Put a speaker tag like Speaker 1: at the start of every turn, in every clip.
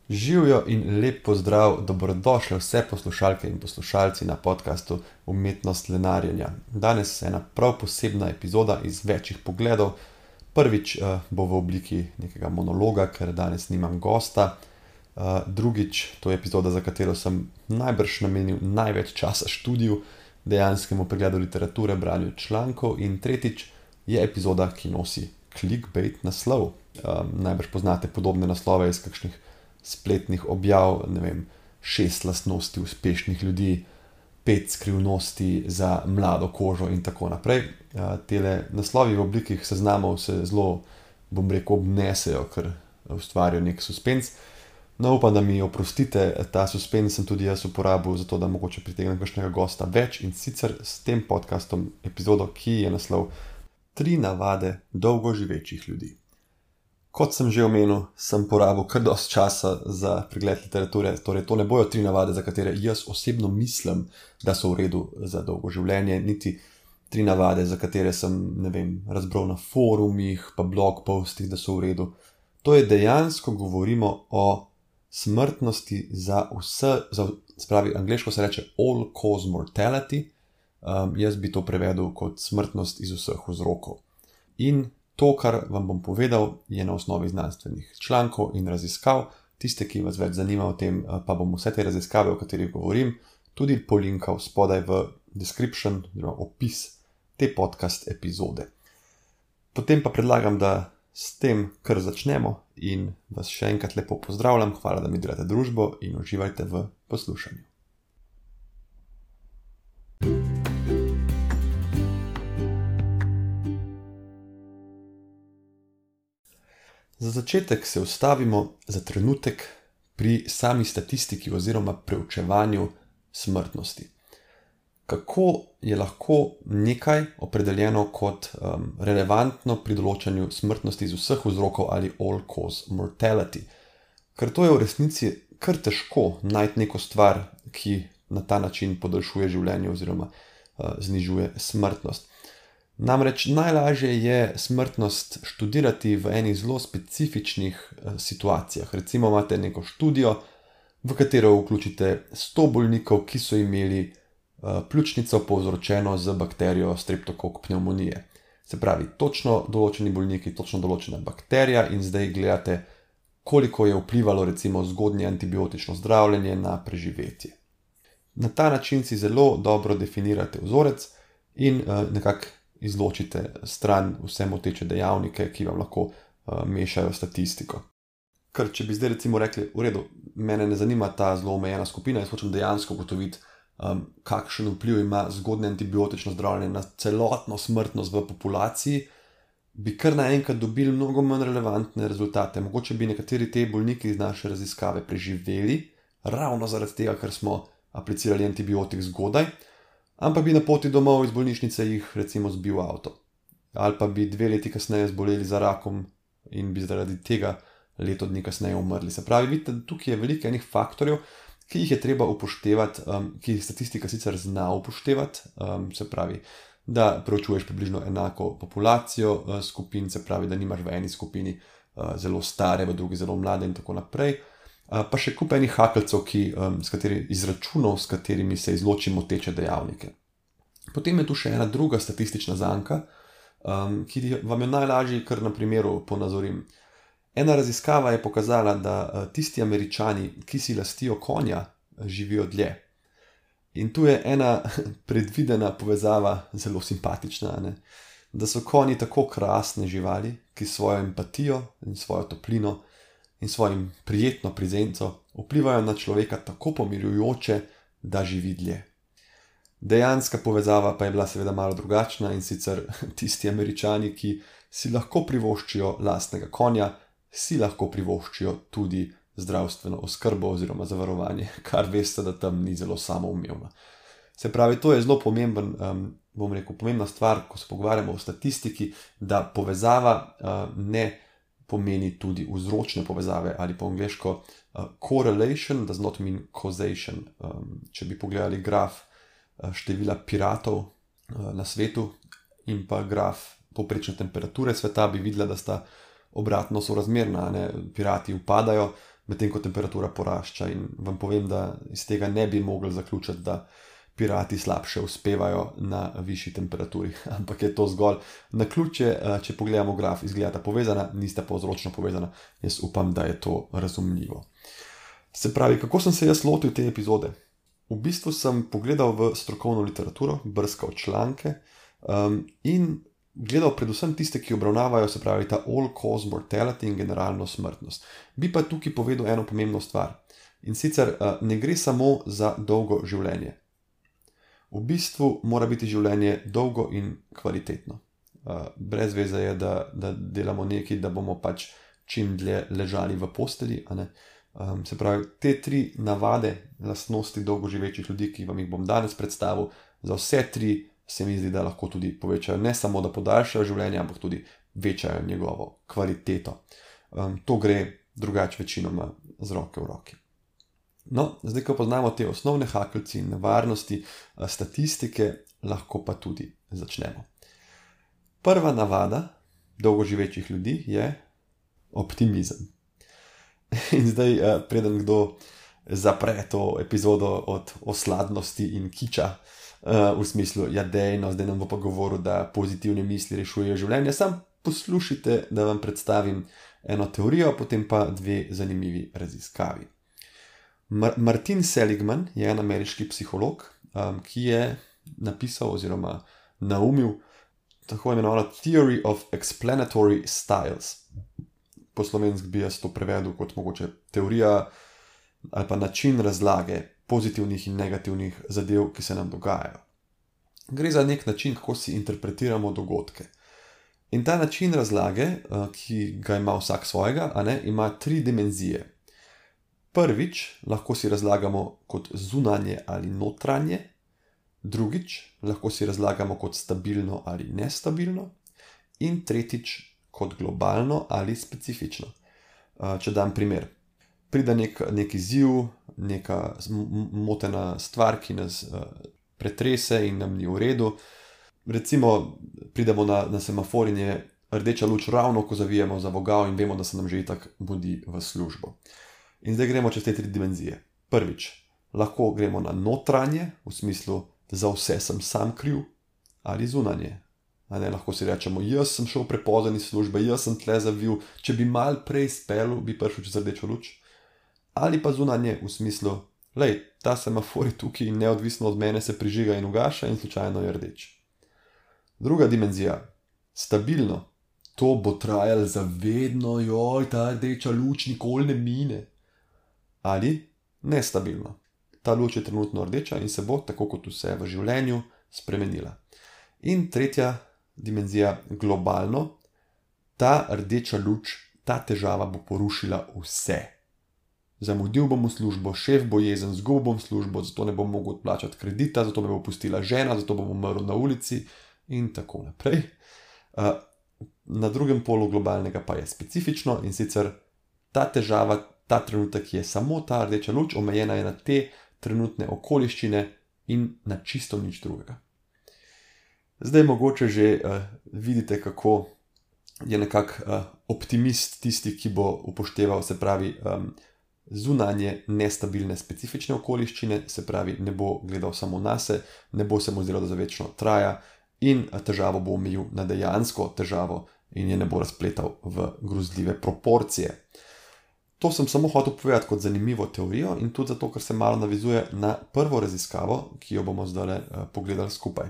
Speaker 1: Živijo in lep pozdrav, dobrodošli vse poslušalke in poslušalci na podkastu Umetnost lenarjenja. Danes je ena prav posebna epizoda iz večjih pogledov. Prvič bo v obliki nekega monologa, ker danes nimam gosta. Drugič, to je epizoda, za katero sem najbrž namenil največ časa študiju, dejanskemu pregledu literature, branju člankov. In tretjič je epizoda, ki nosi clickbait naslov. Najbrž poznate podobne naslove iz kakšnih spletnih objav, 6 lastnosti uspešnih ljudi, 5 skrivnosti za mlado kožo in tako naprej. Tele naslovi v obliki seznamov se zelo, obnesejo, ker ustvarijo nek suspens. No, upam, da mi oprostite, ta suspens sem tudi jaz uporabil, zato da mogoče pritegnem kakšnega gosta več, in sicer s tem podcastom epizodo, ki je naslov 3 navade dolgoživečih ljudi. Kot sem že omenil, sem porabil kar dosti časa za pregled literature, torej to ne bojo 3 navade, za katere jaz osebno mislim, da so v redu za dolgo življenje, niti 3 navade, za katere sem, razbral na forumih, pa blog postih, da so v redu. To je dejansko govorimo o smrtnosti za vse, angleško se reče all cause mortality, jaz bi to prevedel kot smrtnost iz vseh vzrokov. In to, kar vam bom povedal, je na osnovi znanstvenih člankov in raziskav. Tiste, ki vas več zanima o tem, pa bom vse te raziskave, o katerih govorim, tudi polinkal spodaj v description, opis te podcast epizode. Potem pa predlagam, da s tem kar začnemo in vas še enkrat lepo pozdravljam. Hvala, da mi delate družbo in uživajte v poslušanju. Za začetek se ustavimo za trenutek pri sami statistiki oziroma preučevanju smrtnosti. Kako je lahko nekaj opredeljeno kot relevantno pri določanju smrtnosti iz vseh vzrokov ali all cause mortality? Ker to je v resnici kar težko najti neko stvar, ki na ta način podaljšuje življenje oziroma znižuje smrtnost. Namreč najlažje je smrtnost študirati v enih zelo specifičnih situacijah. Recimo imate neko študijo, v katero vključite 100 bolnikov, ki so imeli pljučnico povzročeno z bakterijo streptokok pnevmonije. Se pravi, točno določeni bolniki, točno določena bakterija, in zdaj gledate, koliko je vplivalo recimo zgodnje antibiotično zdravljenje na preživetje. Na ta način si zelo dobro definirate vzorec in nekako izločite stran vse moteče dejavnike, ki vam lahko mešajo statistiko. Ker če bi zdaj recimo rekli, v redu, mene ne zanima ta zelo omejena skupina, jaz hočem dejansko ugotoviti, kakšen vpliv ima zgodnje antibiotično zdravljenje na celotno smrtnost v populaciji, bi kar naenkrat dobili mnogo manj relevantne rezultate. Mogoče bi nekateri te bolniki iz naše raziskave preživeli, ravno zaradi tega, ker smo aplicirali antibiotik zgodaj, ampak bi na poti domov iz bolnišnice jih recimo zbil avto. Ali pa bi 2 leti kasneje zboleli za rakom in bi zaradi tega leto dni kasneje umrli. Se pravi, vidite, tukaj je veliko enih faktorjev, ki jih je treba upoštevati, ki jih statistika sicer zna upoštevati, se pravi, da preučuješ približno enako populacijo skupin, se pravi, da nimaš v eni skupini zelo stare, v drugi zelo mlade in tako naprej. Pa še kup enih hakeljcev, izračunov, s katerimi se izloči moteče dejavnike. Potem je tu še ena druga statistična zanka, ki vam je najlažje kar na primeru ponazorim. Ena raziskava je pokazala, da tisti Američani, ki si lastijo konja, živijo dlje. In tu je ena predvidena povezava, zelo simpatična, da so konji tako krasne živali, ki svojo empatijo in svojo toplino in svojim prijetno prezenco vplivajo na človeka tako pomirjujoče, da živi dlje. Dejanska povezava pa je bila seveda malo drugačna, in sicer tisti Američani, ki si lahko privoščijo lastnega konja, si lahko privoščijo tudi zdravstveno oskrbo oziroma zavarovanje, kar veste, da tam ni zelo samoumevno. Se pravi, to je zelo pomembna stvar, ko se pogovarjamo o statistiki, da povezava ne pomeni tudi vzročne povezave, ali po angleško correlation does not mean causation. Če bi pogledali graf števila piratov na svetu in pa graf povprečne temperature sveta, bi videla, da sta obratno sorazmerna. Pirati upadajo, medtem ko temperatura porašča. In vam povem, da iz tega ne bi mogli zaključiti, da pirati slabše uspevajo na višji temperaturi, ampak je to zgolj naključje, če pogledamo graf, izgledata povezana, nista pa vzročno povezana. Jaz upam, da je to razumljivo. Se pravi, kako sem se jaz lotil te epizode? V bistvu sem pogledal v strokovno literaturo, brskal članke in gledal predvsem tiste, ki obravnavajo, se pravi, ta all-cause mortality in generalno smrtnost. Bi pa tukaj povedal eno pomembno stvar. In sicer ne gre samo za dolgo življenje. V bistvu mora biti življenje dolgo in kvalitetno. Brez veze je, da delamo nekaj, da bomo pač čim dlje ležali v posteli. Se pravi, te 3 navade, lastnosti dolgoživečih ljudi, ki vam jih bom danes predstavil, za vse 3 se mi zdi, da lahko tudi povečajo, ne samo da podaljšajo življenje, ampak tudi večajo njegovo kvaliteto. To gre drugače večinoma z roke v roki. No, zdaj, ko poznamo te osnovne hakeljci in nevarnosti statistike, lahko pa tudi začnemo. Prva navada dolgoživečih ljudi je optimizem. In zdaj, preden kdo zapre to epizodo od osladnosti in kiča, v smislu, ja dejno, zdaj nam bo pa govoril, da pozitivne misli rešujejo življenje, sam poslušajte, da vam predstavim eno teorijo, potem pa 2 zanimivi raziskavi. Martin Seligman je en ameriški psiholog, ki je napisal oziroma naumil tako imenovano Theory of Explanatory Styles. Po slovenski bi jaz to prevedel kot mogoče teorija ali pa način razlage pozitivnih in negativnih zadev, ki se nam dogajajo. Gre za nek način, kako si interpretiramo dogodke. In ta način razlage, ki ga ima vsak svojega, ima 3 dimenzije. Prvič, lahko si razlagamo kot zunanje ali notranje, drugič, lahko si razlagamo kot stabilno ali nestabilno, in tretjič, kot globalno ali specifično. Če dam primer, pride nek izziv, neka motena stvar, ki nas pretrese in nam ni v redu. Recimo, pridemo na semafor in je rdeča luč ravno, ko zavijemo za vogal in vemo, da se nam že itak mudi v službo. In zdaj gremo čez te 3 dimenzije. Prvič, lahko gremo na notranje, v smislu, za vse sem sam kriv, ali zunanje. Lahko si rečemo, jaz sem šel prepozen iz službe, jaz sem tle zavil, če bi mal prej spelil, bi prišel čez rdečo luč. Ali pa zunanje, v smislu, lej, ta semafor je tukaj in neodvisno od mene se prižiga in ugaša in slučajno je rdeč. Druga dimenzija, stabilno. To bo trajalo za vedno, joj, ta rdeča luč nikoli ne mine. Ali nestabilno. Ta luč je trenutno rdeča in se bo, tako kot vse v življenju, spremenila. In tretja dimenzija, globalno. Ta rdeča luč, ta težava bo porušila vse. Zamudil bom v službo, šef bo jezen, izgubil bom službo, zato ne bom mogel odplačati kredita, zato me bo pustila žena, zato bom umrl na ulici in tako naprej. Na drugem polu globalnega pa je specifično in sicer ta težava, ta trenutek je samo ta rdeča luč, omejena je na te trenutne okoliščine in na čisto nič drugega. Zdaj mogoče že vidite, kako je nekako optimist tisti, ki bo upošteval, se pravi, zunanje nestabilne specifične okoliščine, se pravi, ne bo gledal samo nase, ne bo se mu zdelo, da za večno traja in težavo bo omejil na dejansko težavo in je ne bo razpletal v grozljive proporcije. To sem samo hotel povedati kot zanimivo teorijo in tudi zato, ker se malo navizuje na prvo raziskavo, ki jo bomo zdaj pogledali skupaj.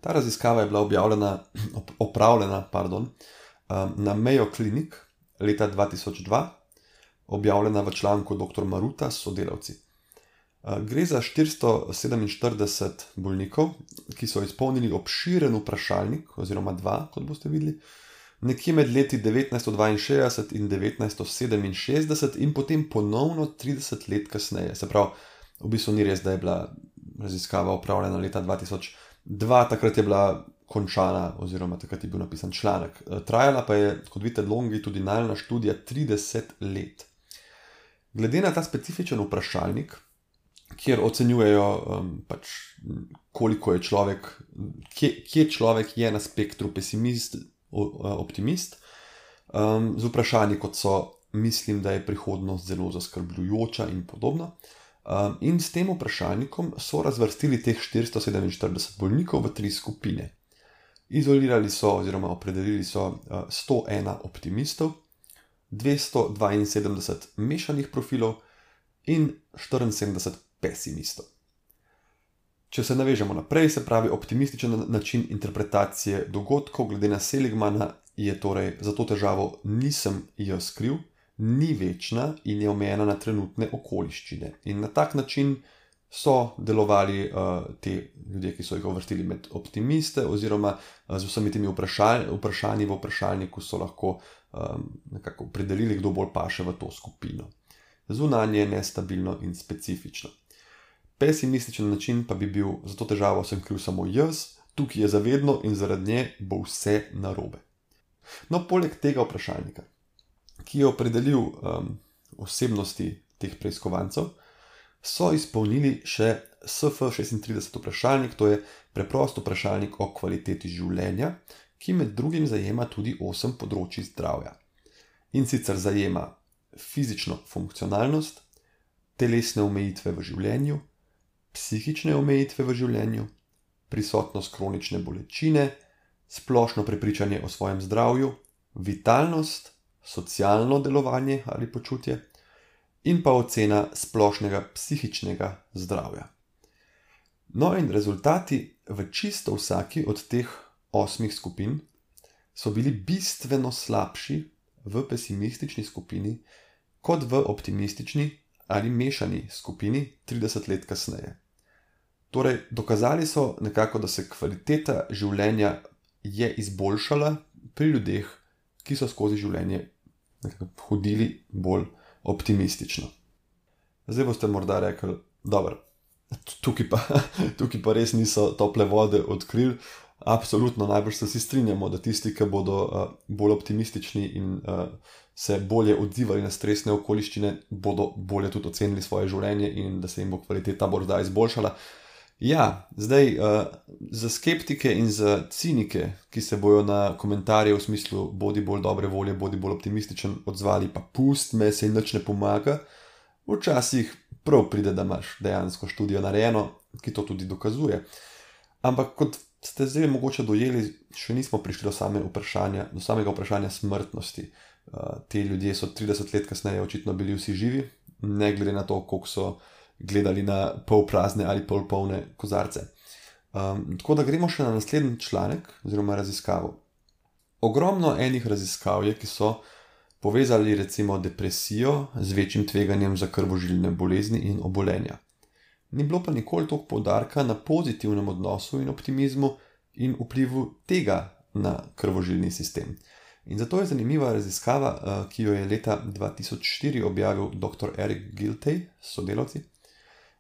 Speaker 1: Ta raziskava je bila opravljena na Mayo Clinic leta 2002, objavljena v članku dr. Maruta s sodelavci. Gre za 447 bolnikov, ki so izpolnili obširen vprašalnik, oziroma 2, kot boste videli, nekje med leti 1962 in 1967 in potem ponovno 30 let kasneje. Se pravi, v bistvu ni res, da je bila raziskava opravljena leta 2002, takrat je bila končana, oziroma takrat je bil napisan članek. Trajala pa je, kot vidite, longitudinalna študija 30 let. Glede na ta specifičen vprašalnik, kjer ocenjujejo koliko je človek, kje človek je na spektru pesimist, optimist, z vprašanji kot so mislim, da je prihodnost zelo zaskrbljujoča in podobno. In s tem vprašalnikom so razvrstili teh 447 bolnikov v 3 skupine. Izolirali so oziroma opredelili so 101 optimistov, 272 mešanih profilov in 74 pesimistov. Če se navežemo naprej, se pravi optimističen način interpretacije dogodkov glede na Seligmana je torej za to težavo nisem jaz kriv, ni večna in je omejena na trenutne okoliščine. In na tak način so delovali te ljudje, ki so jih uvrstili med optimiste, oziroma z vsemi temi vprašanji v vprašalniku so lahko nekako opredelili, kdo bolj paše v to skupino. Zunanje, nestabilno in specifično. Pesimističen način pa bi bil, za to težavo sem kriv samo jaz, tukaj je zavedno in zaradi nje bo vse narobe. No, poleg tega vprašalnika, ki je opredelil osebnosti teh preiskovancev, so izpolnili še SF36 vprašalnik, to je preprost vprašalnik o kvaliteti življenja, ki med drugim zajema tudi 8 področij zdravja. In sicer zajema fizično funkcionalnost, telesne omejitve v življenju, psihične omejitve v življenju, prisotnost kronične bolečine, splošno prepričanje o svojem zdravju, vitalnost, socialno delovanje ali počutje in pa ocena splošnega psihičnega zdravja. No in rezultati v čisto vsaki od teh 8 skupin so bili bistveno slabši v pesimistični skupini kot v optimistični ali mešani skupini 30 let kasneje. Torej, dokazali so nekako, da se kvaliteta življenja je izboljšala pri ljudeh, ki so skozi življenje hodili bolj optimistično. Zdaj boste morda rekli, dobro, tukaj pa res niso tople vode odkrili. Absolutno, najbrž se vsi strinjamo, da tisti, ki bodo bolj optimistični in se bolje odzivali na stresne okoliščine, bodo bolje tudi ocenili svoje življenje in da se jim bo kvaliteta morda izboljšala. Ja, zdaj, za skeptike in za cinike, ki se bojo na komentarje v smislu bodi bolj dobre volje, bodi bolj optimističen odzvali, pa pust me, se nič ne pomaga, včasih prav pride, da imaš dejansko študijo narejeno, ki to tudi dokazuje. Ampak kot ste zdaj mogoče dojeli, še nismo prišli do samega vprašanja smrtnosti. Ti ljudje so 30 let kasneje očitno bili vsi živi, ne glede na to, koliko so gledali na pol prazne ali pol polne kozarce. Tako da gremo še na naslednji članek oziroma raziskavo. Ogromno enih raziskav je, ki so povezali recimo depresijo z večjim tveganjem za krvožilne bolezni in obolenja. Ni bilo pa nikoli toliko poudarka na pozitivnem odnosu in optimizmu in vplivu tega na krvožilni sistem. In zato je zanimiva raziskava, ki jo je leta 2004 objavil dr. Eric Giltay s sodelavci.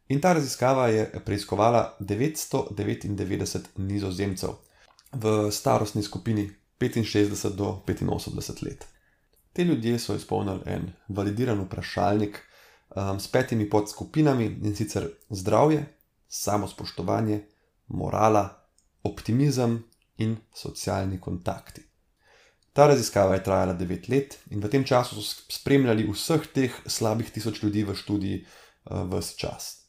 Speaker 1: In ta raziskava je preiskovala 999 Nizozemcev v starostni skupini 65 do 85 let. Te ljudje so izpolnili en validiran vprašalnik s 5 podskupinami, in sicer zdravje, samospoštovanje, morala, optimizem in socialni kontakti. Ta raziskava je trajala 9 let in v tem času so spremljali vseh teh slabih 1000 ljudi v študiji ves čas.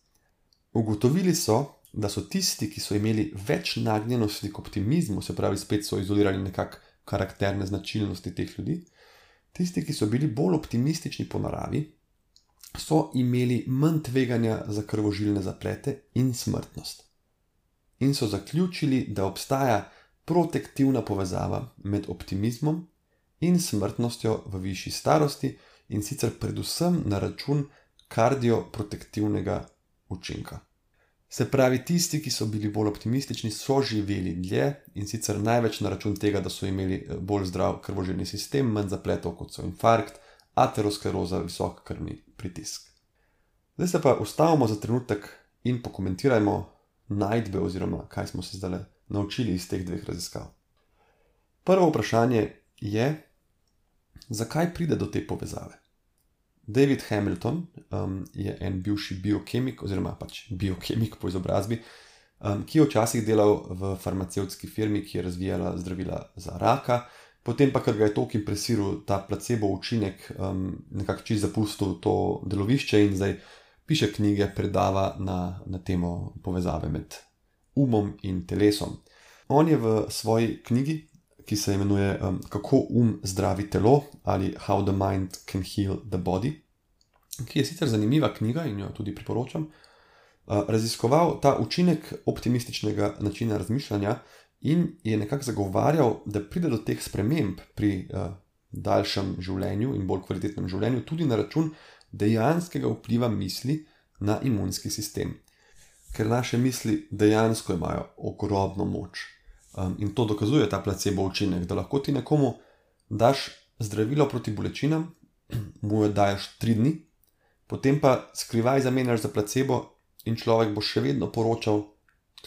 Speaker 1: Ugotovili so, da so tisti, ki so imeli več nagnjenosti k optimizmu, se pravi, spet so izolirali nekako karakterne značilnosti teh ljudi, tisti, ki so bili bolj optimistični po naravi, so imeli manj tveganja za krvožilne zaplete in smrtnost. In so zaključili, da obstaja protektivna povezava med optimizmom in smrtnostjo v višji starosti, in sicer predvsem na račun kardioprotektivnega učinka. Se pravi, tisti, ki so bili bolj optimistični, so živeli dlje, in sicer največ na račun tega, da so imeli bolj zdrav krvožilni sistem, manj zapletov kot so infarkt, ateroskleroza, visok krvni pritisk. Zdaj se pa ustavimo za trenutek in pokomentirajmo najdbe oziroma kaj smo se zdaj naučili iz teh 2 raziskav. Prvo vprašanje je, zakaj pride do te povezave? David Hamilton je en bivši biokemik oziroma pač biokemik po izobrazbi, ki je včasih delal v farmacevtski firmi, ki je razvijala zdravila za raka, potem pa, ker ga je toliko impresiral ta placebo učinek, nekako čisto zapustil to delovišče in zdaj piše knjige, predava na temo povezave med umom in telesom. On je v svoji knjigi, ki se imenuje Kako zdravi telo ali How the Mind Can Heal the Body, ki je sicer zanimiva knjiga in jo tudi priporočam, raziskoval ta učinek optimističnega načina razmišljanja in je nekako zagovarjal, da pride do teh sprememb pri daljšem življenju in bolj kvalitetnem življenju tudi na račun dejanskega vpliva misli na imunski sistem. Ker naše misli dejansko imajo ogromno moč. In to dokazuje ta placebo učinek, da lahko ti nekomu daš zdravilo proti bolečinam, mu jo daš 3 dni, potem pa skrivaj zamenjaš za placebo in človek bo še vedno poročal,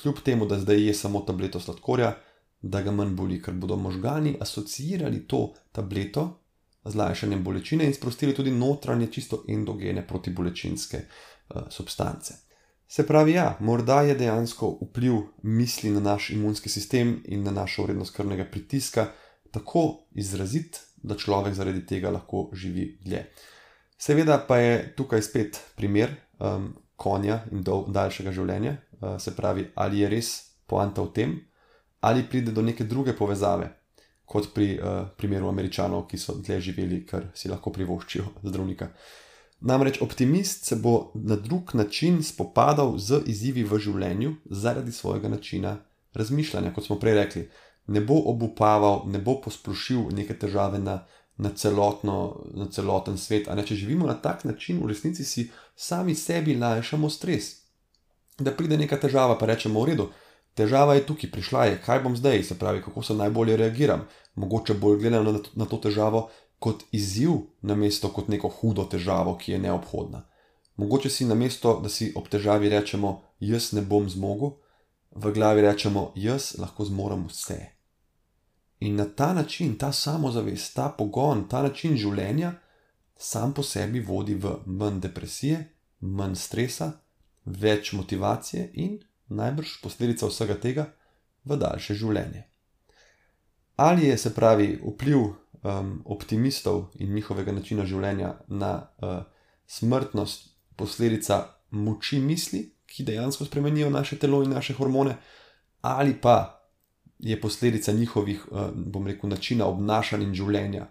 Speaker 1: kljub temu, da zdaj je samo tableto sladkorja, da ga manj boli, ker bodo možgani asociirali to tableto z lajšanjem bolečine in sprostili tudi notranje čisto endogene protibolečinske substance. Se pravi, ja, morda je dejansko vpliv misli na naš imunski sistem in na našo vrednost krvnega pritiska tako izrazit, da človek zaradi tega lahko živi dlje. Seveda pa je tukaj spet primer konja in daljšega življenja, se pravi, ali je res poanta v tem, ali pride do neke druge povezave, kot pri primeru Američanov, ki so dlje živeli, ker si lahko privoščijo zdravnika. Namreč optimist se bo na drug način spopadal z izzivi v življenju zaradi svojega načina razmišljanja, kot smo prej rekli. Ne bo obupaval, ne bo posplošil neke težave na celoten svet. Če živimo na tak način, v resnici si sami sebi lajšamo stres. Da pride neka težava, pa rečemo, v redu, težava je tukaj, prišla je, kaj bom zdaj, se pravi, kako se najbolje reagiram. Mogoče bolj gledam na to težavo kot izziv, namesto kot neko hudo težavo, ki je neobhodna. Mogoče si namesto, da si ob težavi rečemo, jaz ne bom zmogel, v glavi rečemo, jaz lahko zmorem vse. In na ta način, ta samozavest, ta pogon, ta način življenja sam po sebi vodi v manj depresije, manj stresa, več motivacije in najbrž posledica vsega tega v daljše življenje. Ali je, se pravi, vpliv optimistov in njihovega načina življenja na smrtnost posledica moči misli, ki dejansko spremenijo naše telo in naše hormone, ali pa je posledica njihovih, načina obnašanja in življenja,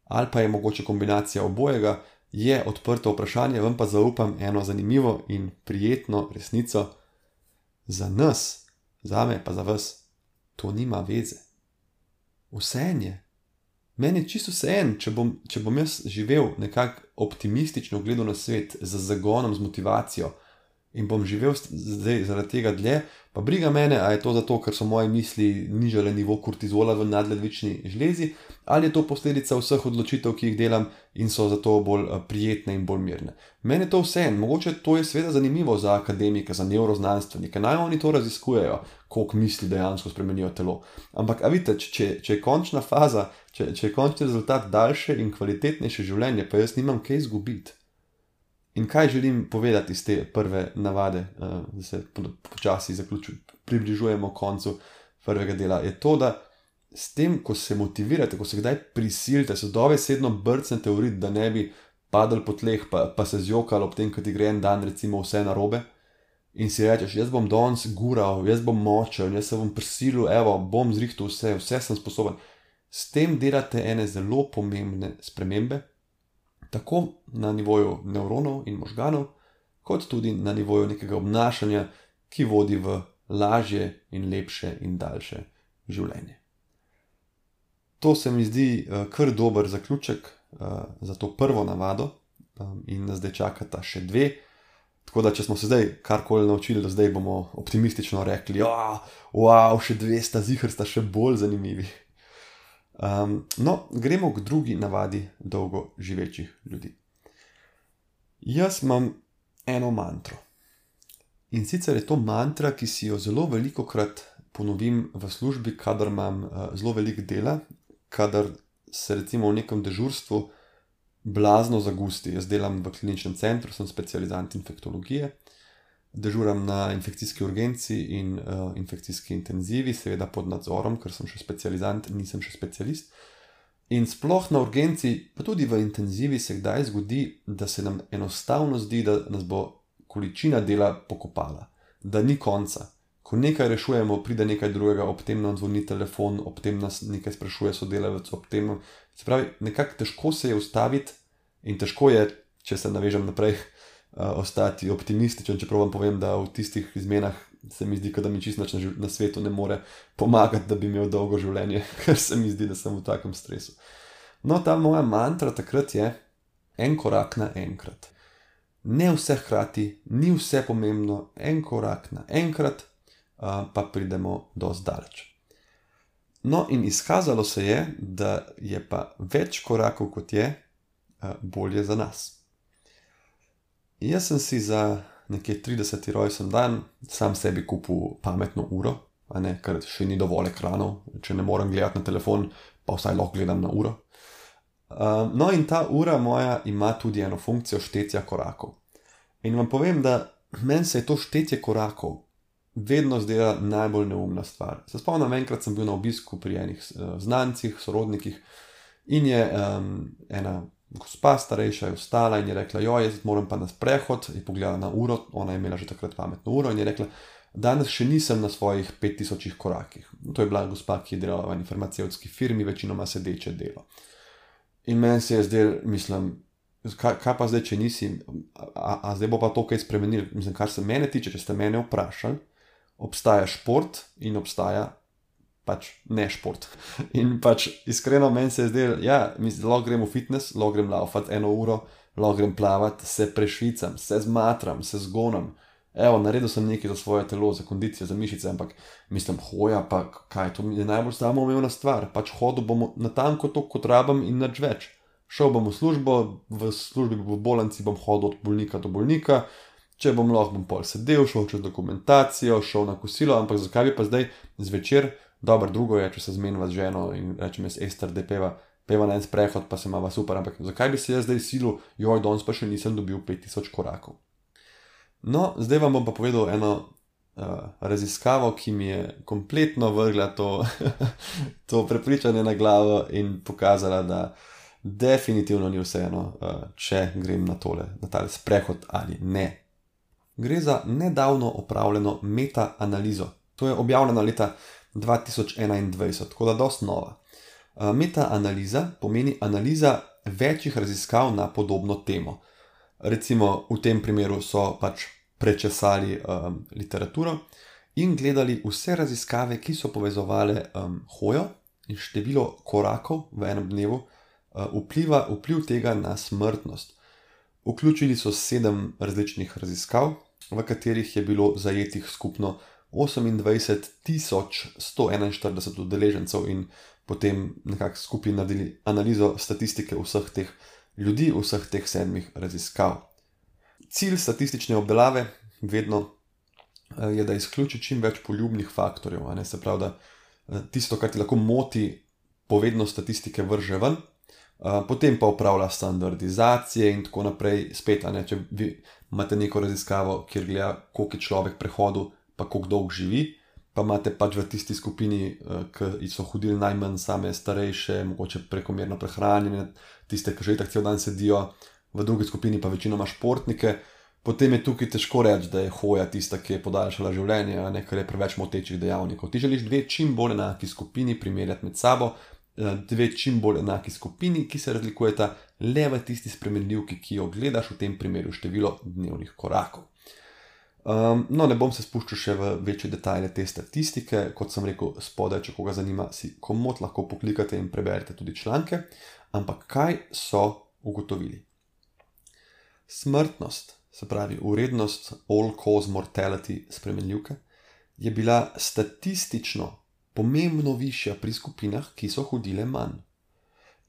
Speaker 1: ali pa je mogoče kombinacija obojega, je odprto vprašanje, vam pa zaupam eno zanimivo in prijetno resnico. Za nas, zame pa za vas, to nima veze. Vseeno je. Meni je čisto vseeno, če bom jaz živel nekako optimistično gledal na svet, z zagonom, z motivacijo in bom živel zdaj zaradi tega dlje, pa briga mene, a je to zato, ker so moje misli nižale nivo kortizola v nadledvični žlezi, ali je to posledica vseh odločitev, ki jih delam in so zato bolj prijetne in bolj mirne. Meni je to vseeno, mogoče to je seveda zanimivo za akademike, za nevroznanstvenike, naj oni to raziskujejo, koliko misli dejansko spremenijo telo. Ampak, a vidite, če je končna faza, če je končni rezultat daljše in kvalitetnejše življenje, pa jaz nimam kaj izgubiti. In kaj želim povedati iz te prve navade, da se počasi približujemo koncu prvega dela, je to, da s tem, ko se motivirate, ko se kdaj prisilite, se dobesedno brcnete v rit, da ne bi padli po tleh, pa se zjokali ob tem, ko ti gre en dan recimo vse narobe, in si rečeš, jaz bom danes gural, jaz bom močen, jaz se bom prisilil, evo, bom zrihtal vse sem sposoben. S tem delate ene zelo pomembne spremembe, tako na nivoju nevronov in možganov, kot tudi na nivoju nekega obnašanja, ki vodi v lažje in lepše in daljše življenje. To se mi zdi kar dober zaključek za to prvo navado in nas zdaj čakata še 2. Tako da, če smo se zdaj karkoli naučili, da zdaj bomo optimistično rekli, wow, še 2 sta ziher, sta še bolj zanimivi. Gremo k drugi navadi dolgo živečih ljudi. Jaz imam eno mantro. In sicer je to mantra, ki si jo zelo velikokrat ponovim v službi, kadar imam zelo veliko dela, kadar se recimo v nekem dežurstvu blazno zagusti. Jaz delam v kliničnem centru, sem specializant infektologije dežuram na infekcijski urgenci in infekcijski intenzivi, seveda pod nadzorom, ker sem še specializant, nisem še specialist. In sploh na urgenci, pa tudi v intenzivi se kdaj zgodi, da se nam enostavno zdi, da nas bo količina dela pokopala, da ni konca. Ko nekaj rešujemo, pride nekaj drugega, ob tem nam zvoni telefon, ob tem nas nekaj sprašuje sodelavec, ob tem, se pravi, nekako težko se je ustaviti in težko je, če se navežem naprej, ostati optimističen, čeprav vam povem, da v tistih izmenah se mi zdi, da mi čisto nič na svetu ne more pomagati, da bi imel dolgo življenje, ker se mi zdi, da sem v takem stresu. No, ta moja mantra takrat je en korak na enkrat. Ne vse hkrati, ni vse pomembno, en korak na enkrat, pa pridemo dosti daleč. No, in izkazalo se je, da je pa več korakov kot je, bolje za nas. Jaz sem si za nekje 30. rojstni dan sam sebi kupil pametno uro, ker še ni dovolj ekranov, če ne morem gledati na telefon, pa vsaj lahko gledam na uro. No, in ta ura moja ima tudi eno funkcijo štetja korakov. In vam povem, da meni se je to štetje korakov vedno zdela najbolj neumna stvar. Se spomnim, enkrat sem bil na obisku pri enih znancih, sorodnikih in je ena gospa starejša je vstala in je rekla, jaz moram pa na sprehod, je pogledala na uro, ona je imela že takrat pametno uro in je rekla, danes še nisem na svojih 5000 korakih. To je bila gospa, ki je delala v eni farmacevtski firmi, večinoma sedeče delo. In meni se je zdel, mislim, kaj pa zdaj, če nisi, a zdaj bo pa to kaj spremenil? Mislim, kar se mene tiče, če ste mene vprašali, obstaja šport in obstaja pač ne šport. In pač iskreno meni se je zdel, lahko grem v fitness, lahko grem laufat 1 uro, lahko grem plavat, se prešvicam, se zmatram, se zgonam. Naredil sem nekaj za svoje telo, za kondicijo, za mišice, ampak mislim, hoja, pa kaj, to mi je najbolj samoumevna stvar. Pač hodil bom natanko to, kot rabim in nič več. Šel bom v službo, v službi v bolnici bom hodil od bolnika do bolnika, če bom lahko, bom pol sedel, šel čez dokumentacijo, šel na kosilo, ampak zakaj bi pa zdaj zvečer, dobro, drugo je, če se zmeniva z ženo in rečem jaz, Ester, da peva na en sprehod, pa se imava super, ampak zakaj bi se jaz zdaj silil, danes pa še nisem dobil 5000 korakov. No, zdaj vam bom pa povedal eno raziskavo, ki mi je kompletno vrgla to prepričanje na glavo in pokazala, da definitivno ni vseeno, če grem na tale sprehod ali ne. Gre za nedavno opravljeno meta-analizo. To je objavljeno leta 2021, tako da dosti nova. Meta-analiza pomeni analiza večjih raziskav na podobno temo. Recimo v tem primeru so pač prečesali literaturo in gledali vse raziskave, ki so povezovale hojo in število korakov v enem dnevu, vpliv tega na smrtnost. Vključili so 7 različnih raziskav, v katerih je bilo zajetih skupno 28.141 udeležencev in potem nekako skupaj naredili analizo statistike vseh teh ljudi, vseh teh 7 raziskav. Cilj statistične obdelave vedno je, da izključi čim več poljubnih faktorjev, se pravi, da tisto, kar ti lahko moti, povedno statistike vrže ven, potem pa upravlja standardizacije in tako naprej. Spet, če vi imate neko raziskavo, kjer gleda, koliko je človek prehodil, pa koliko dolgo živi, pa imate pač v tisti skupini, ki so hodili najmanj, same starejše, mogoče prekomerno prehranjene, tiste, ki že itak cel dan sedijo, v drugi skupini pa večinoma športnike, potem je tukaj težko reči, da je hoja tista, ki je podaljšala življenje, ker je preveč motečih dejavnikov. Ti želiš 2 čim bolj enaki skupini primerjati med sabo, 2 čim bolj enaki skupini, ki se razlikujeta le v tisti spremenljivki, ki jo gledaš, v tem primeru število dnevnih korakov. No, ne bom se spuščal še v večje detajle te statistike, kot sem rekel spodaj, če koga zanima, si komot lahko poklikate in preberete tudi članke, ampak kaj so ugotovili? Smrtnost, se pravi vrednost all-cause mortality spremenljivke, je bila statistično pomembno višja pri skupinah, ki so hodile manj.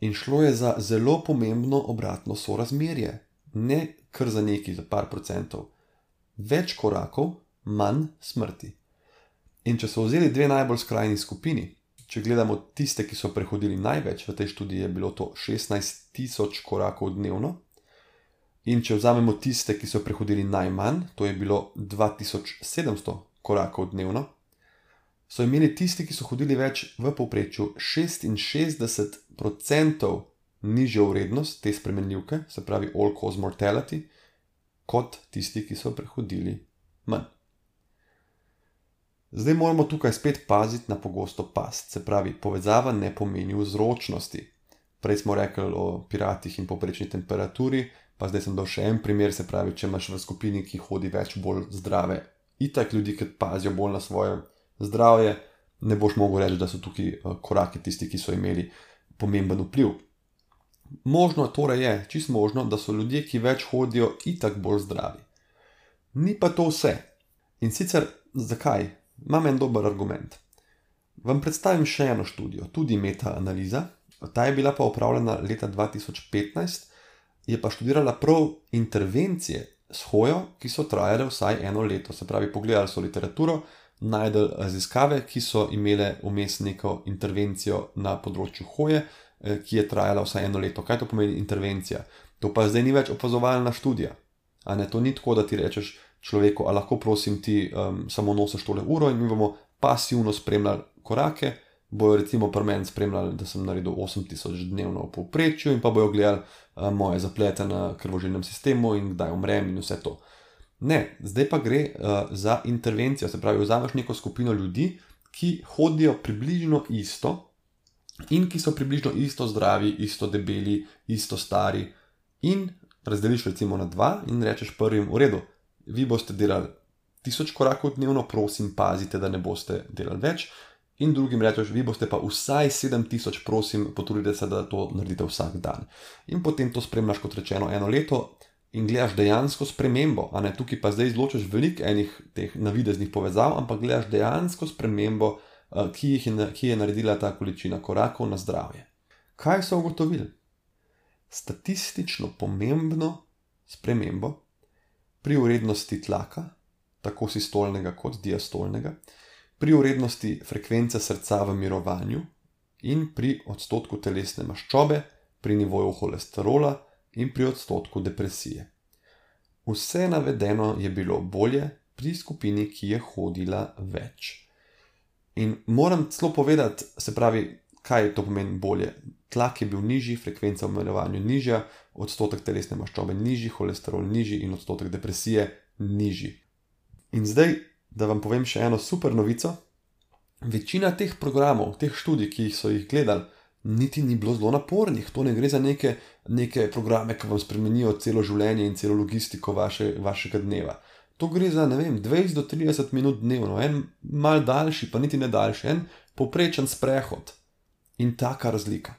Speaker 1: In šlo je za zelo pomembno obratno sorazmerje, ne kar za nekaj, za par procentov. Več korakov, manj smrti. In če so vzeli 2 najbolj skrajni skupini, če gledamo tiste, ki so prehodili največ, v tej študiji je bilo to 16.000 korakov dnevno, In če vzamemo tiste, ki so prehodili najmanj, to je bilo 2700 korakov dnevno, so imeli tisti, ki so hodili več, v povprečju 66% nižjo vrednost te spremenljivke, se pravi all-cause mortality, kot tisti, ki so prehodili manj. Zdaj moramo tukaj spet paziti na pogosto past, se pravi povezava ne pomeni vzročnosti. Prej smo rekli o piratih in povprečni temperaturi, pa zdaj sem dal še en primer, se pravi, če imaš v skupini, ki hodi več bolj zdrave, itak ljudi, ki pazijo bolj na svoje zdravje, ne boš mogel reči, da so tukaj koraki tisti, ki so imeli pomemben vpliv. Možno torej je, čisto možno, da so ljudje, ki več hodijo, itak bolj zdravi. Ni pa to vse. In sicer, zakaj? Imam en dober argument. Vam predstavim še eno študijo, tudi meta-analiza. Ta je bila pa opravljena leta 2015, je pa študirala prav intervencije s hojo, ki so trajale vsaj 1 leto. Se pravi, pogledali so literaturo, najdel raziskave, ki so imele vmes neko intervencijo na področju hoje, ki je trajala vsaj 1 leto. Kaj to pomeni intervencija? To pa zdaj ni več opazovalna študija. A ne, to ni tako, da ti rečeš človeku, a lahko prosim ti samo nosiš tole uro in mi bomo pasivno spremljali korake, bojo recimo pri meni spremljali, da sem naredil 8000 dnevno v povprečju in pa bojo gledali moje zaplete na krvožilnem sistemu in kdaj umrem in vse to. Ne, zdaj pa gre za intervencijo, se pravi, vzameš neko skupino ljudi, ki hodijo približno isto in ki so približno isto zdravi, isto debeli, isto stari in razdeliš recimo na 2 in rečeš prvim, v redu, vi boste delali 1000 korakov dnevno, prosim, pazite, da ne boste delali več, in drugim rečeš, vi boste pa vsaj 7000, prosim, potrudite se, da to naredite vsak dan. In potem to spremljaš, kot rečeno, 1 leto in gledaš dejansko spremembo, a ne, tukaj pa zdaj izločaš veliko enih teh navideznih povezav, ampak gledaš dejansko spremembo, ki je naredila ta količina korakov na zdravje. Kaj so ugotovili? Statistično pomembno spremembo pri vrednosti tlaka, tako sistolnega kot diastolnega, pri vrednosti frekvence srca v mirovanju in pri odstotku telesne maščobe, pri nivoju holesterola in pri odstotku depresije. Vse navedeno je bilo bolje pri skupini, ki je hodila več. In moram celo povedati, se pravi, kaj to pomeni bolje. Tlak je bil nižji, frekvenca v mirovanju nižja, odstotek telesne maščobe nižji, holesterol nižji in odstotek depresije nižji. In zdaj, da vam povem še eno super novico, večina teh programov, teh študij, ki so jih gledali, niti ni bilo zelo napornih. To ne gre za neke programe, ki vam spremenijo celo življenje in celo logistiko vašega dneva. To gre za, ne vem, 20 do 30 minut dnevno, en mal daljši, pa niti ne daljši, en povprečen sprehod. In taka razlika.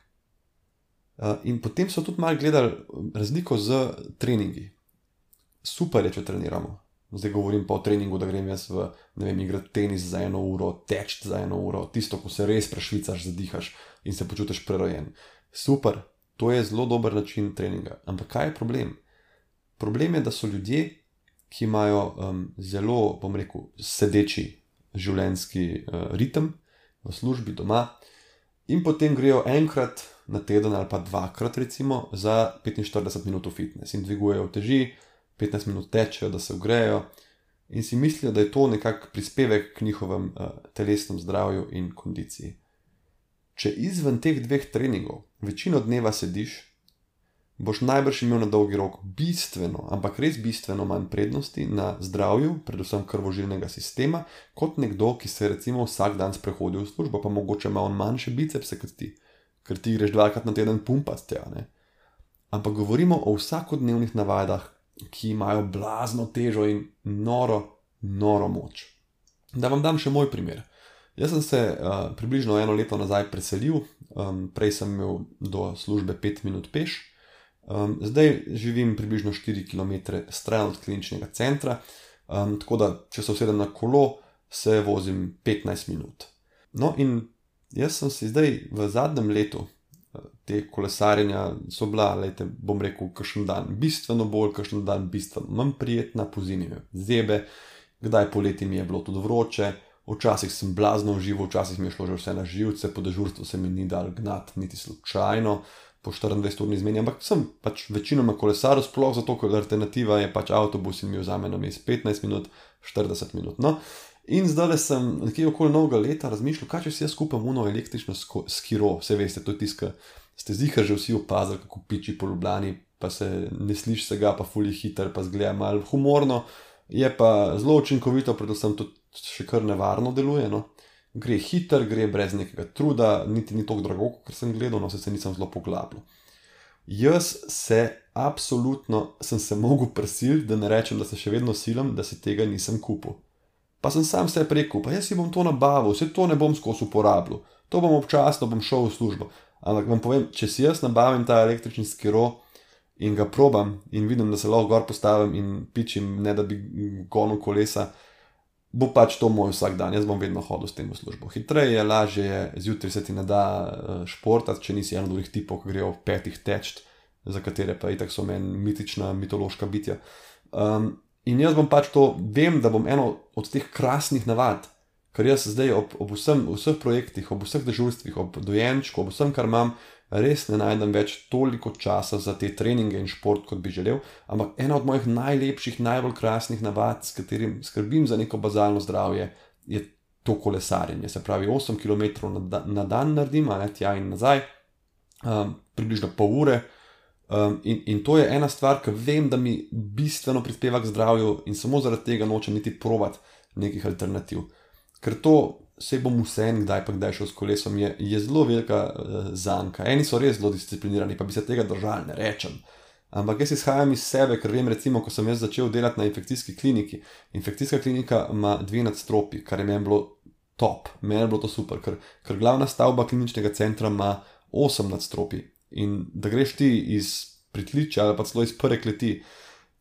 Speaker 1: In potem so tudi malo gledali razliko z treningi. Super je, če treniramo. Zdaj govorim pa o treningu, da grem jaz igrati tenis za 1 uro, teči za 1 uro, tisto, ko se res prešvicaš, zadihaš in se počutiš prerojen. Super, to je zelo dober način treninga. Ampak kaj je problem? Problem je, da so ljudje, ki imajo zelo, bom rekel, sedeči življenjski ritem v službi, doma, in potem grejo enkrat na teden ali pa 2-krat recimo za 45 minut v fitness in dvigujejo uteži, 15 minut tečejo, da se ogrejo in si mislijo, da je to nekak prispevek k njihovem telesnem zdravju in kondiciji. Če izven teh 2 treningov večino dneva sediš, boš najbrž imel na dolgi rok bistveno, ampak res bistveno manj prednosti na zdravju, predvsem krvožilnega sistema, kot nekdo, ki se recimo vsak dan sprehodi v službo, pa mogoče ima on manjše bicepse kot ti, ker ti greš 2-krat na teden pumpat tja, ne. Ampak govorimo o vsakodnevnih navadah, ki imajo blazno težo in noro moč. Da vam dam še moj primer. Jaz sem se približno 1 leto nazaj preselil, prej sem imel do službe 5 minut peš, zdaj živim približno 4 km stran od kliničnega centra, tako da, če se usedem na kolo, se vozim 15 minut. No in jaz sem si zdaj v zadnjem letu te kolesarjenja so bila, bom rekel, kakšen dan bistveno bolj, kakšen dan bistveno manj prijetna, pozimi me zebe, kdaj poleti mi je bilo tudi vroče, včasih sem blazno užival, včasih mi je šlo že vse na živce, po dežurstvu se mi ni dal gnati niti slučajno, po 24-urni izmeni, ampak sem pač večinoma kolesaril, sploh zato, ker alternativa je pač avtobus in mi vzame na mest 15 minut, 40 minut. No. In zdaj sem nekje okoli novega leta razmišljal, kaj če si jaz kupam uno električno skiro, vse veste, to je tisto, ste ziher že vsi opazili, kako piči po Ljubljani, pa se ne sliši se ga, pa fuli hiter, pa zgleda malo humorno, je pa zelo učinkovito, predvsem tudi še kar nevarno deluje, no. Gre hiter, gre brez nekega truda, niti ni toliko drago, ker sem gledal, no se nisem zelo poglabljal. Jaz absolutno sem se mogel prisiliti, da ne rečem, da se še vedno silim, da si tega nisem kupil. Pa sem sam sebi rekel, pa jaz si bom to nabavil, vse to ne bom skozi uporabljal, to bom občasno, bom šel v službo. Ampak vam povem, če si jaz nabavim ta električni skiro in ga probam in vidim, da se lahko gor postavim in pičim, ne da bi gonil kolesa, bo pač to moj vsak dan, jaz bom vedno hodil s tem v službo. Hitreje je, lažje je, zjutraj se ti ne da športati, če nisi eno od drugih tipov, ki grejo v 5 teč, za katere pa itak so meni mitična, mitološka bitja. In jaz bom pač to, vem, da bom eno od teh krasnih navad, ker jaz zdaj ob vseh projektih, ob vseh dežurstvih, ob dojenčku, ob vsem, kar imam, res ne najdem več toliko časa za te treninge in šport, kot bi želel, ampak ena od mojih najlepših, najbolj krasnih navad, s katerim skrbim za neko bazalno zdravje, je to kolesarjenje. Se pravi, 8 km na dan naredim, tja in nazaj, približno pol ure. In to je ena stvar, ki vem, da mi bistveno prispeva k zdravju in samo zaradi tega nočem niti probati nekih alternativ. Ker to, saj bom vsem kdaj pa kdaj šel s kolesom, je zelo velika zanka. Eni so res zelo disciplinirani, pa bi se tega držali, ne rečem. Ampak jaz izhajam iz sebe, ker vem recimo, ko sem jaz začel delati na infekcijski kliniki. Infekcijska klinika ima 2 nadstropji, kar je meni bilo top, meni je bilo to super, ker glavna stavba kliničnega centra ima 8 nadstropji. In da greš ti iz pritličja ali pa celo iz prve kleti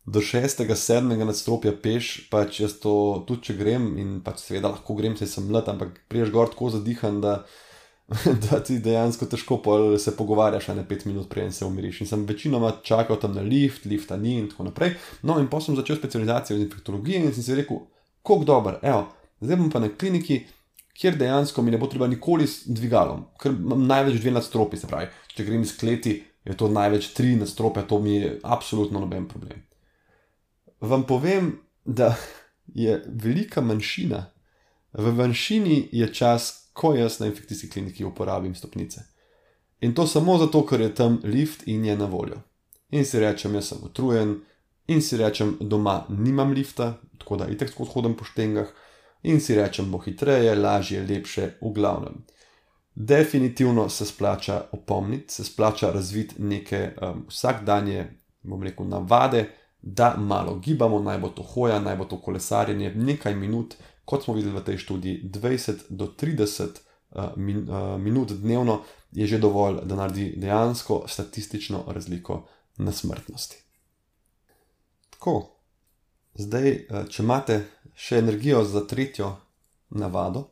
Speaker 1: do 6., 7. nadstropja peš, pač jaz to tudi če grem in pač seveda lahko grem, saj sem mlad, ampak priješ gor tako zadihan, da ti dejansko težko se pogovarjaš, a ne 5 minut preden se umiriš. In sem večinoma čakal tam na lifta ni in tako naprej. No in potem sem začel specializacijo iz infektologije in sem si rekel, koliko dober, evo, zdaj bom pa na kliniki, kjer dejansko mi ne bo treba nikoli s dvigalom, ker imam največ 2 nadstropji, se pravi, če grem iz kleti, je to največ 3 nadstropja, to mi je absolutno noben problem. Vam povem, da je velika manjšina, v manjšini je čas, ko jaz na infekcijski kliniki uporabim stopnice. In to samo zato, ker je tam lift in je na voljo. In si rečem, jaz sem utrujen, in si rečem, doma nimam lifta, tako da itak skozi hodim po štengah, in si rečem, bo hitreje, lažje, lepše, v glavnem. Definitivno se splača opomniti, se splača razviti neke vsakdanje, bom rekel, navade, da malo gibamo, naj bo to hoja, naj bo to kolesarjenje, nekaj minut, kot smo videli v tej študiji, 20 do 30 minut dnevno je že dovolj, da naredi dejansko statistično razliko na smrtnosti. Tako, zdaj, če imate še energijo za 3. navado,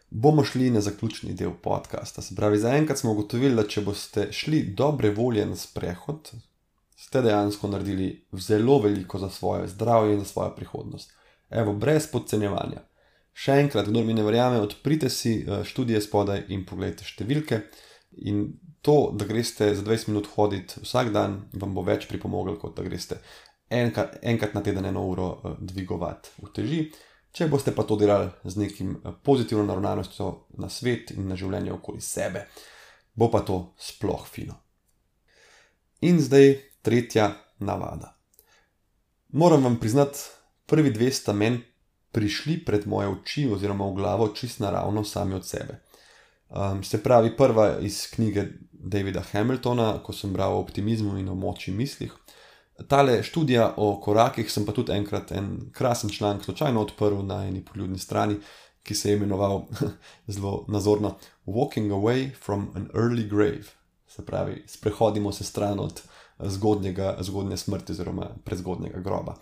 Speaker 1: bomo šli na zaključni del podcasta. Se pravi, zaenkrat smo ugotovili, da če boste šli dobre volje na sprehod, ste dejansko naredili zelo veliko za svoje zdravje in za svojo prihodnost. Evo, brez podcenjevanja. Še enkrat, kdor mi ne verjame, odprite si študije spodaj in pogledajte številke. In to, da greste za 20 minut hoditi vsak dan, vam bo več pripomoglo, kot da greste enkrat na teden 1 uro dvigovati uteži. Če boste pa to delali z nekim pozitivno naravnanostjo na svet in na življenje okoli sebe, bo pa to sploh fino. In zdaj 3. navada. Moram vam priznati, prvi 2 sta meni prišli pred moje oči oziroma v glavo čist naravno sami od sebe. Se pravi, prva iz knjige Davida Hamiltona, ko sem bral o optimizmu in o moči mislih. Tale študija o korakih sem pa tudi enkrat en krasen članek slučajno odprl na eni poljudni strani, ki se je imenoval zelo nazorno Walking away from an early grave. Se pravi, sprehodimo se stran od zgodnje smrti oziroma prezgodnjega groba.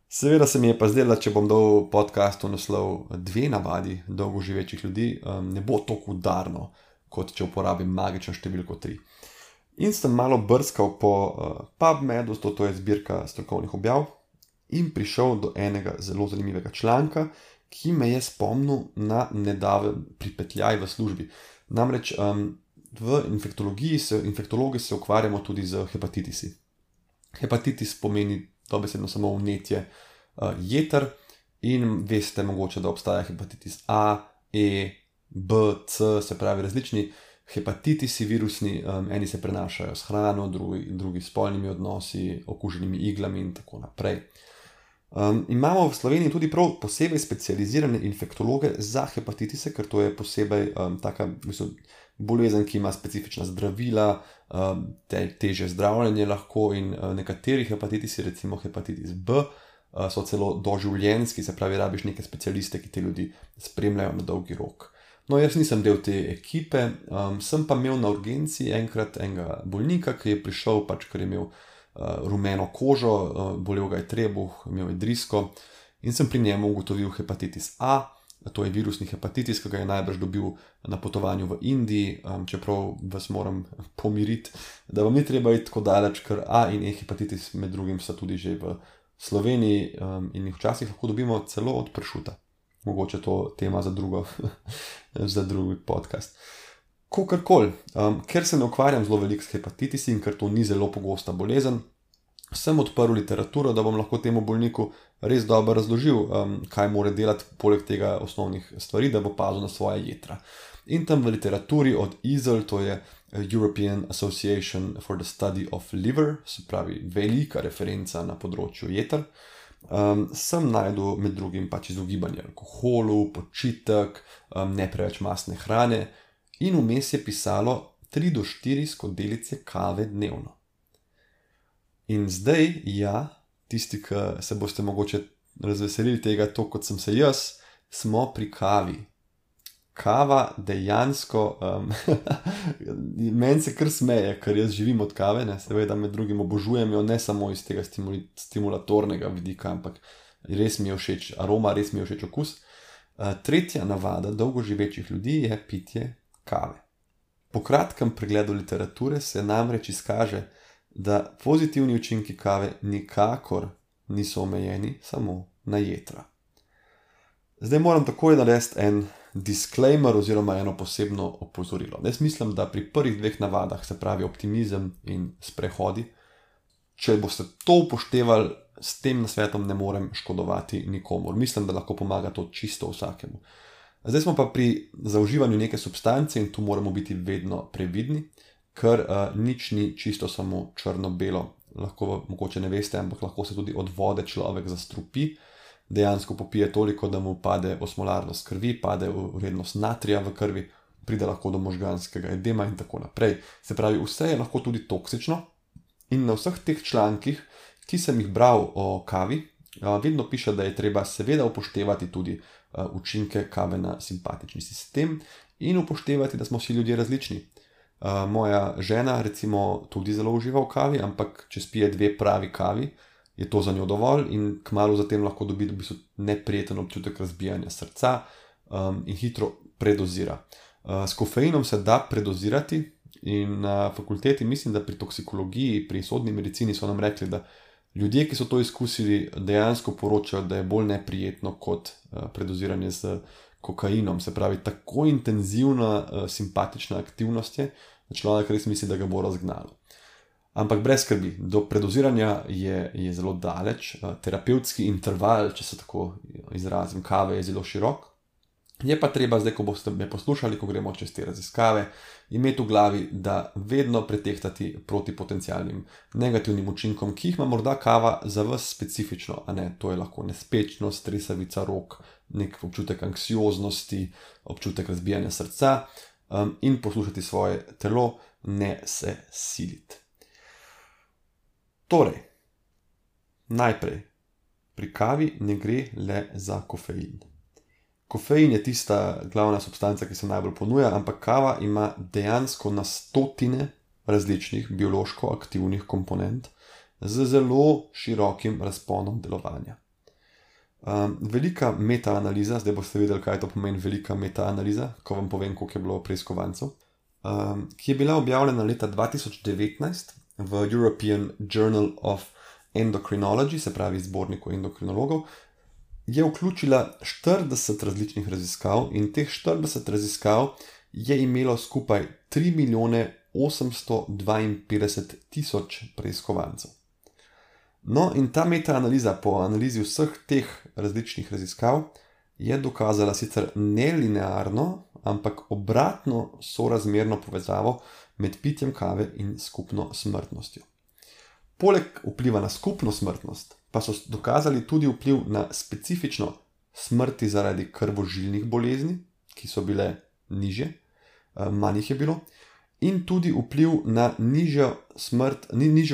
Speaker 1: Seveda se mi je pa zdelo, če bom dal podcastu naslov 2 navadi dolgo živečih ljudi, ne bo toliko udarno, kot če uporabim magično številko 3. In sem malo brskal po PubMedu, to je zbirka strokovnih objav, in prišel do enega zelo zanimivega članka, ki me je spomnil na nedaven pripetljaj v službi. Namreč v infektologiji se ukvarjamo tudi z hepatitisi. Hepatitis pomeni dobesedno samo vnetje jeter in veste mogoče, da obstaja hepatitis A, E, B, C, se pravi različni hepatitisi virusni, eni se prenašajo s hrano, drugi s spolnimi odnosi, okuženimi iglami in tako naprej. Imamo v Sloveniji tudi prav posebej specializirane infektologe za hepatitise, ker to je posebej taka bolezen, ki ima specifična zdravila, težje zdravljenje lahko in nekateri hepatitisi, recimo hepatitis B, so celo doživljenjski, se pravi, rabiš neke specialiste, ki te ljudi spremljajo na dolgi rok. No, jaz nisem del te ekipe, sem pa imel na urgenci enkrat enega bolnika, ki je prišel, ker je imel rumeno kožo, bolel ga je trebuh, imel je drisko in sem pri njemu ugotovil hepatitis A, to je virusni hepatitis, ki ga je najbrž dobil na potovanju v Indiji, čeprav vas moram pomiriti, da vam ni treba iti tako daleč, ker A in E hepatitis med drugim so tudi že v Sloveniji in jih včasih lahko dobimo celo od pršuta. Mogoče to tema za drugi podcast. Kakorkoli, ker se ne ukvarjam zelo veliko s hepatitisi in ker to ni zelo pogosta bolezen, sem odprl literaturo, da bom lahko temu bolniku res dobro razložil, kaj mora delati poleg tega osnovnih stvari, da bo pazil na svoje jetra. In tam v literaturi od EASL, to je European Association for the Study of Liver, se pravi velika referenca na področju jeter, sem najdel med drugim izogibanje alkoholu, počitek, ne preveč mastne hrane in vmes je pisalo 3 do 4 skodelice kave dnevno. In zdaj, tisti, ki se boste mogoče razveselili tega, to kot sem se jaz, smo pri kavi. Kava dejansko, meni se kar smeje, ker jaz živim od kave, seveda med drugim obožujem jo, ne samo iz tega stimulatornega vidika, ampak res mi je všeč aroma, res mi je všeč okus. Tretja navada dolgoživečih ljudi je pitje kave. Po kratkem pregledu literature se namreč izkaže, da pozitivni učinki kave nikakor niso omejeni samo na jetra. Zdaj moram takoj narediti en disclaimer oziroma eno posebno opozorilo. Jaz mislim, da pri prvih 2 navadah, se pravi optimizem in sprehodi, če boste to upoštevali, s tem nasvetom ne morem škodovati nikomur. Mislim, da lahko pomaga to čisto vsakemu. Zdaj smo pa pri zaužívanju neke substance in tu moramo biti vedno previdni, ker nič ni čisto samo črno-belo. Lahko, mogoče ne veste, ampak lahko se tudi od vode človek zastrupi, dejansko popije toliko, da mu pade osmolarnost krvi, pade vrednost natrija v krvi, pride lahko do možganskega edema in tako naprej. Se pravi, vse je lahko tudi toksično in na vseh teh člankih, ki sem jih bral o kavi, vedno piše, da je treba seveda upoštevati tudi učinke kave na simpatični sistem in upoštevati, da smo vsi ljudje različni. Moja žena recimo tudi zelo uživa v kavi, ampak če spije 2 pravi kavi, je to za njo dovolj in kmalu zatem lahko dobi v bistvu neprijeten občutek razbijanja srca in hitro predozira. S kofeinom se da predozirati in na fakulteti mislim, da pri toksikologiji, pri sodni medicini so nam rekli, da ljudje, ki so to izkusili, dejansko poročajo, da je bolj neprijetno kot predoziranje z kokainom. Se pravi, tako intenzivna simpatična aktivnost je, da človek res misli, da ga bo razgnalo. Ampak brez skrbi, do predoziranja je zelo daleč, terapevtski interval, če se tako izrazim, kave je zelo širok. Je pa treba zdaj, ko boste me poslušali, ko gremo čez te raziskave, imeti v glavi, da vedno pretehtati proti potencialnim negativnim učinkom, ki jih ima morda kava za vas specifično, to je lahko nespečnost, tresavica rok, nek občutek anksioznosti, občutek razbijanja srca in poslušati svoje telo, ne se siliti. Torej, najprej, pri kavi ne gre le za kofein. Kofein je tista glavna substanca, ki se najbolj ponuja, ampak kava ima dejansko na stotine različnih biološko aktivnih komponent z zelo širokim razponom delovanja. Velika metaanaliza, zdaj boste videli, kaj to pomeni velika metaanaliza, ko vam povem, koliko je bilo preiskovancev, ki je bila objavljena leta 2019 v European Journal of Endocrinology, se pravi zborniku endokrinologov, je vključila 40 različnih raziskav in teh 40 raziskav je imelo skupaj 3.852.000 preiskovancev. No, in ta metaanaliza po analizi vseh teh različnih raziskav je dokazala sicer nelinearno, ampak obratno sorazmerno povezavo med pitjem kave in skupno smrtnostjo. Poleg vpliva na skupno smrtnost pa so dokazali tudi vpliv na specifično smrti zaradi krvožilnih bolezni, ki so bile nižje, manj jih je bilo, in tudi vpliv na nižjo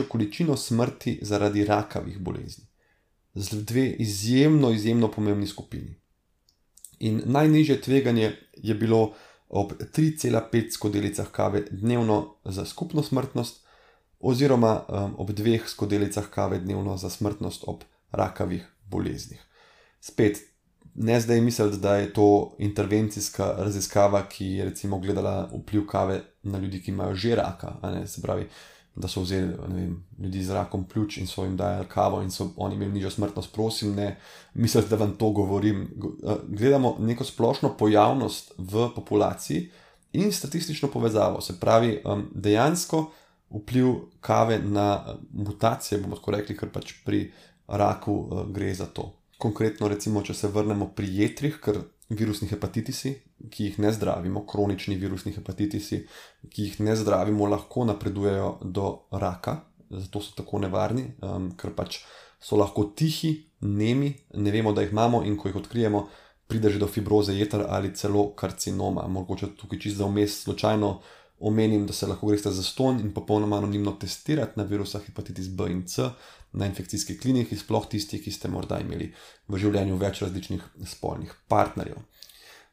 Speaker 1: količino smrti zaradi rakavih bolezni. Z dve izjemno pomembni skupini. In najnižje tveganje je bilo ob 3,5 skodelicah kave dnevno za skupno smrtnost oziroma ob 2 skodelicah kave dnevno za smrtnost ob rakavih boleznih. Spet, ne zdaj misliti, da je to intervencijska raziskava, ki je recimo gledala vpliv kave na ljudi, ki imajo že raka, se pravi, da so vzeli ljudi z rakom pljuč in so jim dajali kavo in so oni imeli nižjo smrtnost. Prosim, ne mislite, da vam to govorim. Gledamo neko splošno pojavnost v populaciji in statistično povezavo, se pravi, dejansko vpliv kave na mutacije, bomo tako rekli, ker pač pri raku gre za to. Konkretno recimo, če se vrnemo pri jetrih, ker virusni hepatitisi, ki jih ne zdravimo, kronični virusni hepatitisi, ki jih ne zdravimo, lahko napredujejo do raka, zato so tako nevarni, ker pač so lahko tihi, nemi, ne vemo, da jih imamo, in ko jih odkrijemo, pride že do fibroze jeter ali celo karcinoma. Mogoče tukaj čisto za vmes slučajno omenim, da se lahko greste zastonj in popolnoma anonimno testirati na virusa hepatitis B in C na infekcijski kliniki, sploh tisti, ki ste morda imeli v življenju več različnih spolnih partnerjev.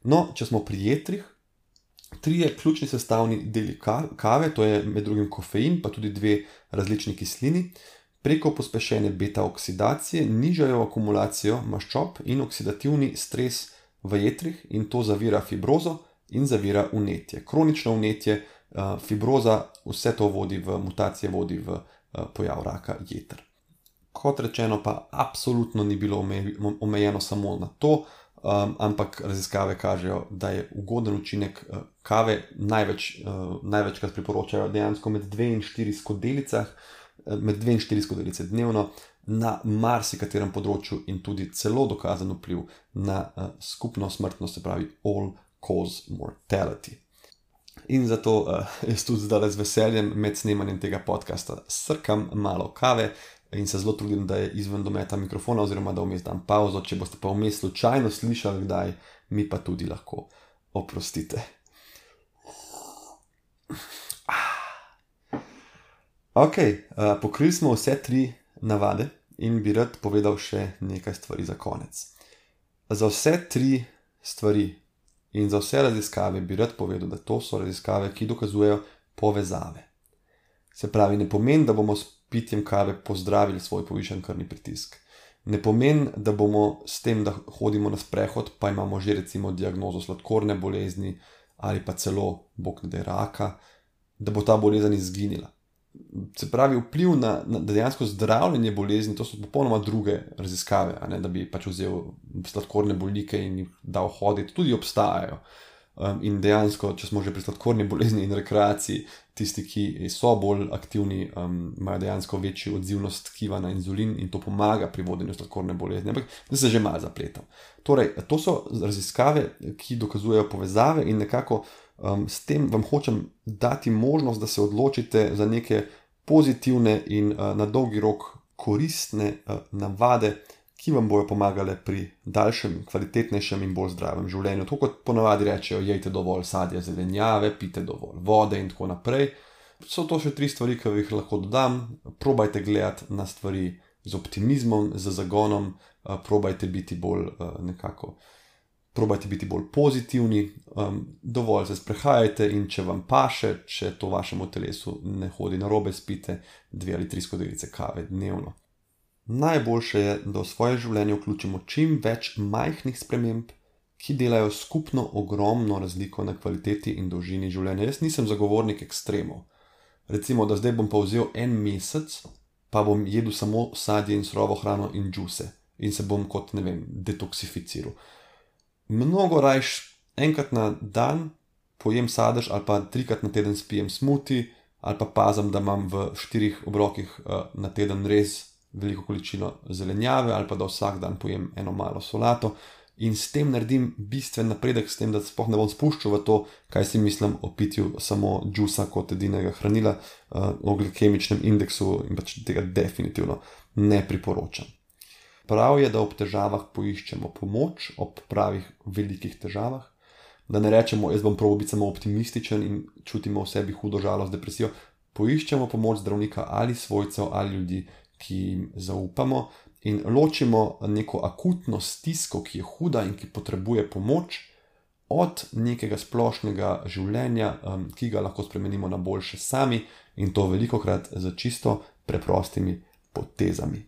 Speaker 1: No, če smo pri jetrih, 3 ključni sestavni deli kave, to je med drugim kofein, pa tudi 2 različni kislini, preko pospešene beta-oksidacije nižajo akumulacijo maščob in oksidativni stres v jetrih, in to zavira fibrozo in zavira vnetje. Kronično vnetje, fibroza, vse to vodi v mutacije, vodi v pojav raka jeter. Kot rečeno, pa absolutno ni bilo omejeno samo na to, ampak raziskave kažejo, da je ugoden učinek kave največkrat priporočajo dejansko med 2 in 4 skodelice dnevno na marsikaterem področju in tudi celo dokazan vpliv na skupno smrtnost, se pravi all cause mortality. In zato jaz tudi zdaj z veseljem med snemanjem tega podcasta srkam malo kave in se zelo trudim, da je izven dometa mikrofona oziroma da vmes dam pauzo. Če boste pa vmes slučajno slišali kdaj, mi pa tudi lahko oprostite. Ok, pokrili smo vse 3 navade in bi rad povedal še nekaj stvari za konec. Za vse 3 stvari in za vse raziskave bi rad povedal, da to so raziskave, ki dokazujejo povezave. Se pravi, ne pomeni, da bomo s pitjem kave pozdravili svoj povišan krvni pritisk. Ne pomeni, da bomo s tem, da hodimo na sprehod, pa imamo že recimo diagnozo sladkorne bolezni ali pa celo, bog ne daj, raka, da bo ta bolezen izginila. Se pravi, vpliv na dejansko zdravljenje bolezni, to so popolnoma druge raziskave, da bi pač vzel sladkorne bolnike in jih dal hoditi, tudi obstajajo. In dejansko, če smo že pri sladkorni bolezni in rekreaciji, tisti, ki so bolj aktivni, imajo dejansko večjo odzivnost tkiva na inzulin in to pomaga pri vodenju sladkorne bolezni. Ampak da se že malo zapletam. Torej, to so raziskave, ki dokazujejo povezave in nekako s tem vam hočem dati možnost, da se odločite za neke pozitivne in na dolgi rok koristne navade, ki vam bojo pomagale pri daljšem, kvalitetnejšem in bolj zdravem življenju. To kot ponavadi rečejo, jejte dovolj sadja, zelenjave, pite dovolj vode in tako naprej. So to še 3 stvari, ki jih lahko dodam. Probajte gledati na stvari z optimizmom, z zagonom, probajte biti bolj pozitivni, dovolj se sprehajajte in če vam paše, če to vašemu telesu ne hodi narobe, spite 2 ali 3 skodelice kave dnevno. Najboljše je, da v svoje življenje vključimo čim več majhnih sprememb, ki delajo skupno ogromno razliko na kvaliteti in dolžini življenja. Jaz nisem zagovornik ekstremov. Recimo, da zdaj bom pa vzel 1 mesec, pa bom jedel samo sadje in surovo hrano in džuse in se bom kot, detoksificiral. Mnogo rajš enkrat na dan pojem sadež ali pa 3-krat na teden spijem smuti ali pa pazim, da imam v 4 obrokih na teden res veliko količino zelenjave ali pa da vsak dan pojem eno malo solato in s tem naredim bistven napredek, s tem, da sploh ne bom spuščal v to, kaj si mislim o pitju samo džusa kot edinega hranila, o glikemičnem indeksu in pač tega definitivno ne priporočam. Prav je, da ob težavah poiščemo pomoč, ob pravih velikih težavah, da ne rečemo, jaz bom probal biti samo optimističen in čutimo v sebi hudo žalost, depresijo. Poiščemo pomoč zdravnika ali svojcev ali ljudi, ki jim zaupamo in ločimo neko akutno stisko, ki je huda in ki potrebuje pomoč, od nekega splošnega življenja, ki ga lahko spremenimo na boljše sami in to velikokrat z čisto preprostimi potezami.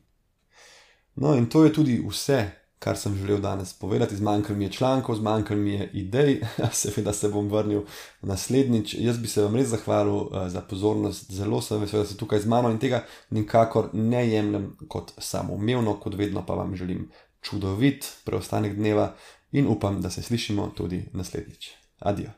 Speaker 1: No, in to je tudi vse, kar sem želel danes povedati. Zmanjkalo mi je člankov, zmanjkalo mi je idej, seveda se bom vrnil naslednjič. Jaz bi se vam res zahvalil za pozornost, zelo sem vesel, da ste tukaj z mano in tega nikakor ne jemljem kot samoumevno, kot vedno pa vam želim čudovit preostanek dneva in upam, da se slišimo tudi naslednjič. Adijo.